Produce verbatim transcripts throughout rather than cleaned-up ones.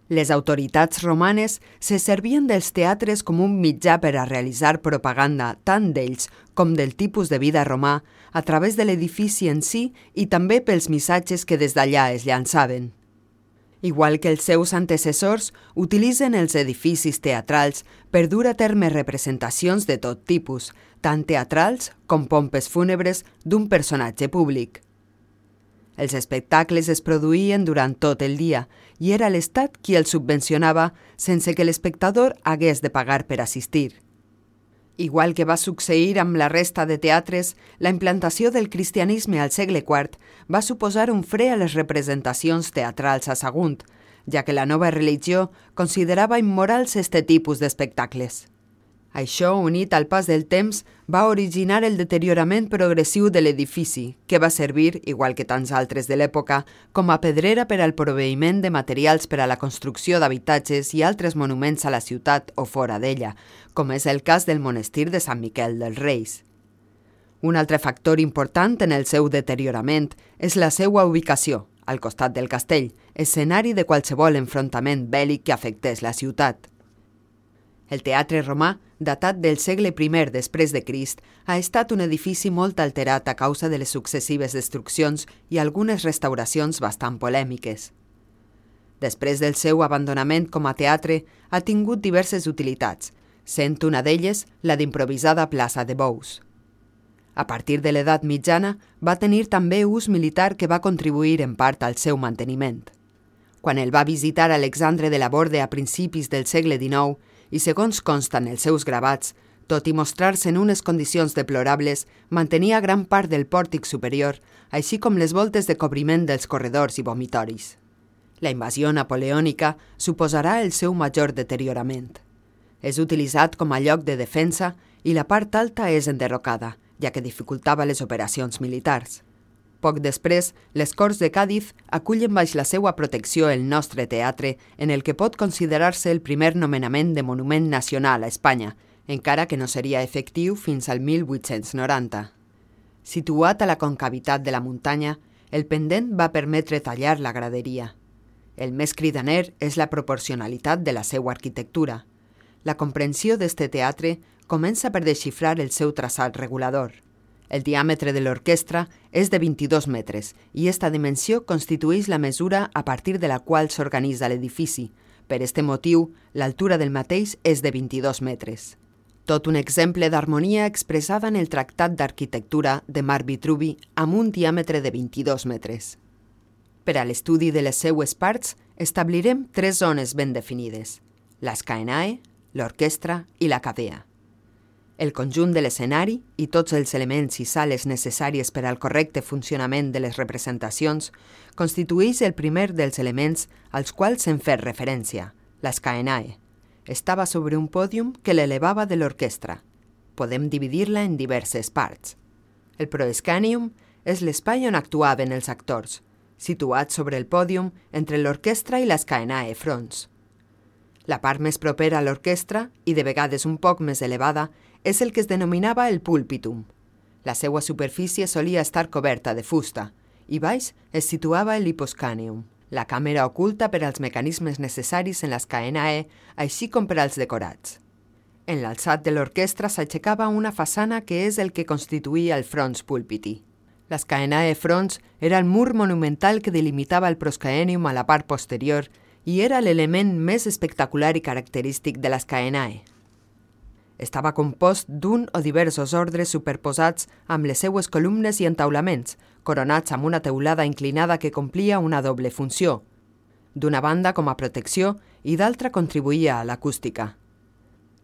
Les autoritats romanes se servien dels teatres com un mitjà per a realitzar propaganda tant d'ells com del tipus de vida romà a través de l'edifici en si i també pels missatges que des d'allà es llançaven. Igual que els seus antecessors, utilitzen els edificis teatrals per dur a terme representacions de tot tipus, tant teatrals com pompes fúnebres d'un personatge públic. Els espectacles es produïen durant tot el dia i era l'Estat qui els subvencionava sense que l'espectador hagués de pagar per assistir. Igual que va succeir amb la resta de teatres, la implantació del cristianisme al segle quart va suposar un fre a les representacions teatrals a Sagunt, ja que la nova religió considerava immorals este tipus d'espectacles. Això, unit al pas del temps, va originar el deteriorament progressiu de l'edifici, que va servir, igual que tants altres de l'època, com a pedrera per al proveïment de materials per a la construcció d'habitatges i altres monuments a la ciutat o fora d'ella, com és el cas del monestir de Sant Miquel dels Reis. Un altre factor important en el seu deteriorament és la seva ubicació, al costat del castell, escenari de qualsevol enfrontament bèl·lic que afectés la ciutat. El teatre romà, datat del segle primer després de Crist, ha estat un edifici molt alterat a causa de les successives destruccions i algunes restauracions bastant polèmiques. Després del seu abandonament com a teatre, ha tingut diverses utilitats, sent una d'elles la d'improvisada plaça de bous. A partir de l'edat mitjana, va tenir també ús militar que va contribuir en part al seu manteniment. Quan el va visitar Alexandre de la Borde a principis del segle dinou, i segons consten els seus gravats, tot i mostrar-se en unes condicions deplorables, mantenia gran part del pòrtic superior, així com les voltes de cobriment dels corredors i vomitoris. La invasió napoleònica suposarà el seu major deteriorament. És utilitzat com a lloc de defensa i la part alta és enderrocada, ja que dificultava les operacions militars. Poc després, les Corts de Càdiz acullen baix la seva protecció el nostre teatre, en el que pot considerar-se el primer nomenament de monument nacional a Espanya, encara que no seria efectiu fins al mil vuit-cents noranta. Situat a la concavitat de la muntanya, el pendent va permetre tallar la graderia. El més cridaner és la proporcionalitat de la seva arquitectura. La comprensió d'este teatre comença per desxifrar el seu traçat regulador. El diàmetre de l'orquestra és de vint-i-dos metres i esta dimensió constitueix la mesura a partir de la qual s'organitza l'edifici. Per este motiu, l'altura del mateix és de vint-i-dos metres. Tot un exemple d'harmonia expressada en el Tractat d'Arquitectura de Marc Vitruvi amb un diàmetre de vint-i-dos metres. Per a l'estudi de les seues parts, establirem tres zones ben definides: l'escaenae, l'orquestra i la cavea. El conjunt de l'escenari i tots els elements i sales necessàries per al correcte funcionament de les representacions constitueix el primer dels elements als quals s'en fet referència, l'escaenae. Estava sobre un pòdium que l'elevava de l'orquestra. Podem dividir-la en diverses parts. El proescànium és l'espai on actuaven els actors, situat sobre el pòdium entre l'orquestra i l'escaenae fronts. La part més propera a l'orquestra, i de vegades un poc més elevada, és el que es denominava el púlpitum. La seva superfície solia estar coberta de fusta, i baix es situava l'hiposcànium, la càmera oculta per als mecanismes necessaris en l'escaenae, així com per als decorats. En l'alçat de l'orquestra s'aixecava una façana que és el que constituïa el frons púlpiti. L'escaenae fronts era el mur monumental que delimitava el proscaenium a la part posterior i era l'element més espectacular i característic de l'escaenae. Estava compost d'un o diversos ordres superposats amb les seues columnes i entaulaments, coronats amb una teulada inclinada que complia una doble funció. D'una banda com a protecció i d'altra contribuïa a l'acústica.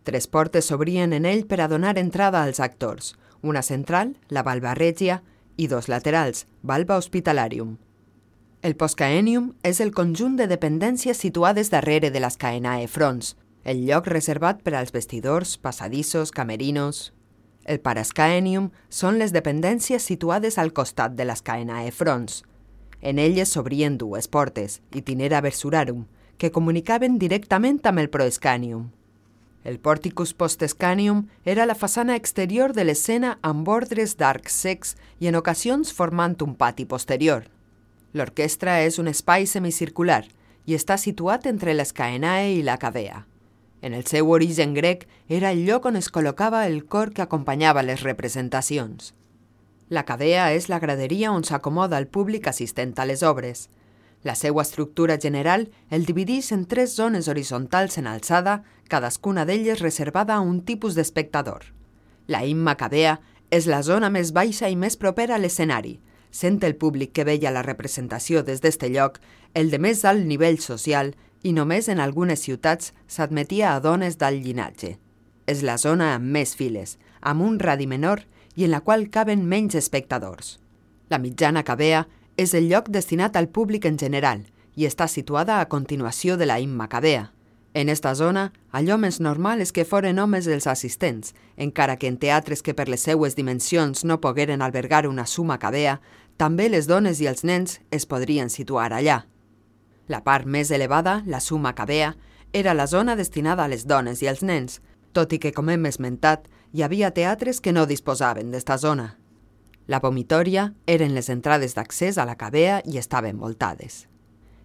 Tres portes s'obrien en ell per a donar entrada als actors, una central, la valva regia, i dos laterals, valva hospitalarium. El poscaenium és el conjunt de dependències situades darrere de l'escaenae fronts, el lloc reservat per als vestidors, passadissos, camerinos. El parascaenium són les dependències situades al costat de l'escaenae fronts. En elles s'obrien dues portes, itinera versurarum, que comunicaven directament amb el proescànium. El porticus postescànium era la façana exterior de l'escena amb ordres d'arcs cecs i en ocasions formant un pati posterior. L'orquestra és un espai semicircular i està situat entre l'Escaenae i la Cavea. En el seu origen grec era el lloc on es col·locava el cor que acompanyava les representacions. La Cavea és la graderia on s'acomoda el públic assistent a les obres. La seva estructura general el divideix en tres zones horitzontals en alçada, cadascuna d'elles reservada a un tipus d'espectador. La imma Cavea és la zona més baixa i més propera a l'escenari, sent el públic que veia la representació des d'este lloc el de més alt nivell social i només en algunes ciutats s'admetia a dones d'alt llinatge. És la zona amb més files, amb un radi menor i en la qual caben menys espectadors. La mitjana Cavea és el lloc destinat al públic en general i està situada a continuació de la imma Cavea. En esta zona, allò més normal és que foren homes els assistents, encara que en teatres que per les seues dimensions no pogueren albergar una summa Cavea, també les dones i els nens es podrien situar allà. La part més elevada, la summa Cavea, era la zona destinada a les dones i als nens, tot i que, com hem esmentat, hi havia teatres que no disposaven d'esta zona. La vomitòria eren les entrades d'accés a la Cavea i estaven voltades.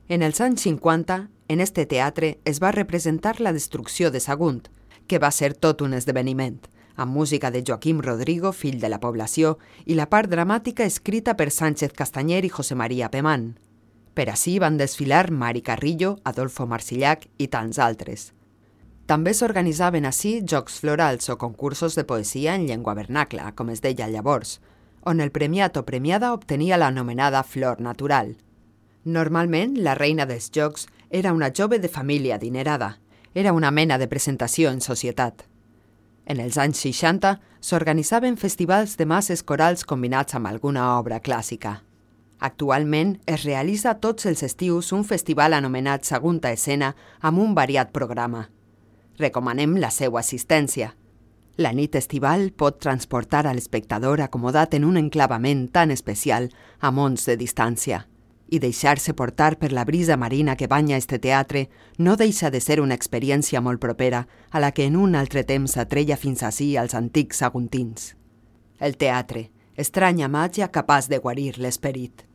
En els anys cinquanta, en este teatre es va representar la destrucció de Sagunt, que va ser tot un esdeveniment, amb música de Joaquim Rodrigo, fill de la població, i la part dramàtica escrita per Sánchez Castanyer i José María Pemán. Per ací van desfilar Mari Carrillo, Adolfo Marsillac i tants altres. També s'organitzaven ací jocs florals o concursos de poesia en llengua vernacla, com es deia llavors, on el premiat o premiada obtenia l'anomenada flor natural. Normalment, la reina dels jocs era una jove de família adinerada. Era una mena de presentació en societat. En els anys seixanta s'organitzaven festivals de masses corals combinats amb alguna obra clàssica. Actualment es realitza tots els estius un festival anomenat Sagunta Escena amb un variat programa. Recomanem la seva assistència. La nit estival pot transportar a l'espectador acomodat en un enclavament tan especial a mons de distància. I deixar-se portar per la brisa marina que banya este teatre no deixa de ser una experiència molt propera a la que en un altre temps s'atreia fins ací als antics saguntins. El teatre, estranya màgia capaç de guarir l'esperit.